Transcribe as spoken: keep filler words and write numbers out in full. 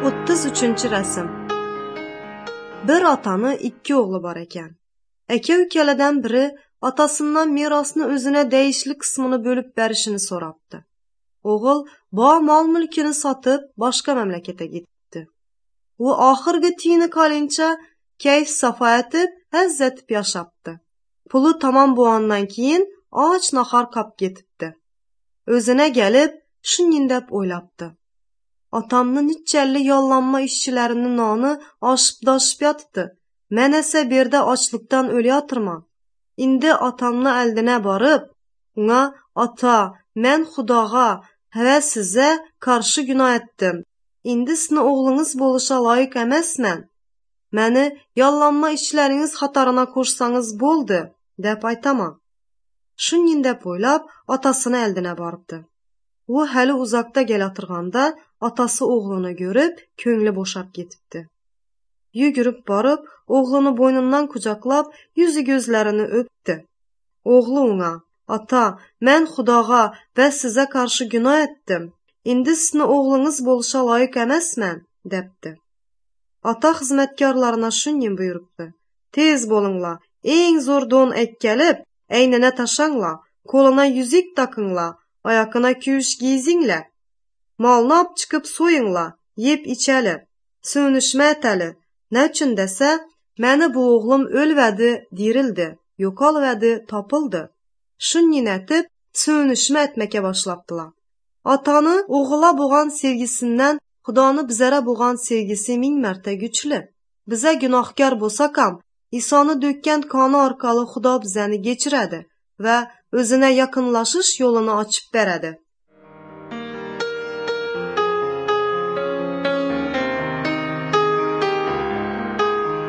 O'ttiz uchinchi rasm. Bir otani ikki o'g'li bor ekan. Aka ukaladan biri otasidan merosni o'zine deyishli qismini bo'lib berishini so'rabdi. O'g'il bo mol mulkini sotib boshqa mamlakatga ketibdi. U oxirgi tiyini qolincha kayf safo etib, hazz etib yashabdi. Puli tamom bo'lgandan keyin och nahor qolib ketibdi. O'zine kelib shunday deb o'ylabdi. Otamni nechalli yollanma ishchilarining noni oshib-toshib yotibdi. Men esa bu yerda ochlikdan o'layotirman. Endi otamni oldina borib, unga ota, men Xudoga va sizga qarshi gunoh etdim. Endi sizni o'g'lingiz bo'lishga loyiq emasman. Meni yollanma ishchilaringiz qatoriga qo'shsangiz bo'ldi, deb aytaman. Shunday deb o'ylab, otasini oldina boribdi. U hali uzoqda kelatirganda otasi o'g'lini ko'rib, ko'ngli bo'shab ketibdi. Yugurib borib, o'g'lini bo'ynidan quchoqlab, yuzi ko'zlarini o'pdi. O'g'li unga: "Ota, men Xudoga va sizga qarshi gunoh etdim. Endi sizni o'g'lingiz bo'lishga loyiq emasman", debdi. Ota xizmatkorlarına shunday buyuribdi: "Tez bo'linglar, eng zo'r don ekkalib, aynina tashanglar, qo'lina yuzik taqinglar, oyoqina kuyish giysinglar. Molni olib chiqib so'yinglar, yeb ichali, so'nishma etali. Nechun desa, meni bu o'g'lim o'lvadi, dirildi, yo'qolvadi, topildi." Shunday etib, so'nishma etmaka boshlabdilar. Otani o'g'ila bo'lgan sevgisidan Xudoni bizara bo'lgan sevgisi ming marta kuchli. Biza gunohkor bo'lsak ham, Isoni to'kkan qoni orqali Xudo bizani kechiradi va o'zine yaqinlashish yo'lini ochib beradi.